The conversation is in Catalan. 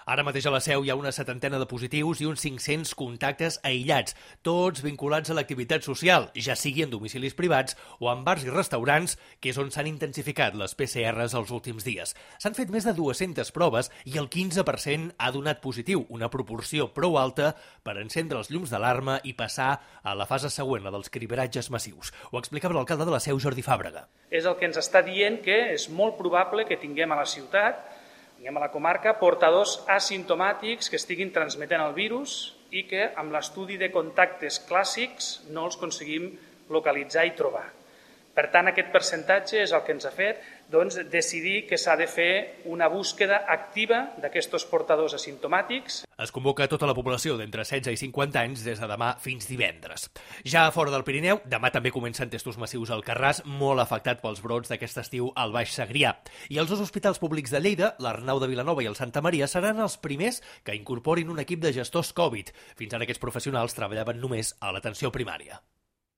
Ara mateix a la Seu hi ha una 70 de positius i uns 500 contactes aïllats, tots vinculats a l'activitat social, ja sigui en domicilis privats o en bars i restaurants, que és on s'han intensificat les PCRs els últims dies. S'han fet més de 200 proves i el 15% ha donat positiu, una proporció prou alta per encendre els llums d'alarma i passar a la fase següent, la dels cribratges massius. Ho explicava l'alcalde de la Seu, Jordi Fàbrega. És el que ens està dient que és molt probable que tinguem a la ciutat, tinguem a la comarca, portadors asimptomàtics que estiguin transmetent el virus i que amb l'estudi de contactes clàssics no els aconseguim localitzar i trobar. Per tant, aquest percentatge és el que ens ha fet decidir que s'ha de fer una búsqueda activa d'aquests portadors asimptomàtics. Es convoca a tota la població d'entre 16 i 50 anys des de demà fins divendres. Ja fora del Pirineu, demà també comencen testos massius al Carràs, molt afectat pels brots d'aquest estiu al Baix Segrià. I els dos hospitals públics de Lleida, l'Arnau de Vilanova i el Santa Maria, seran els primers que incorporin un equip de gestors Covid. Fins ara aquests professionals treballaven només a l'atenció primària.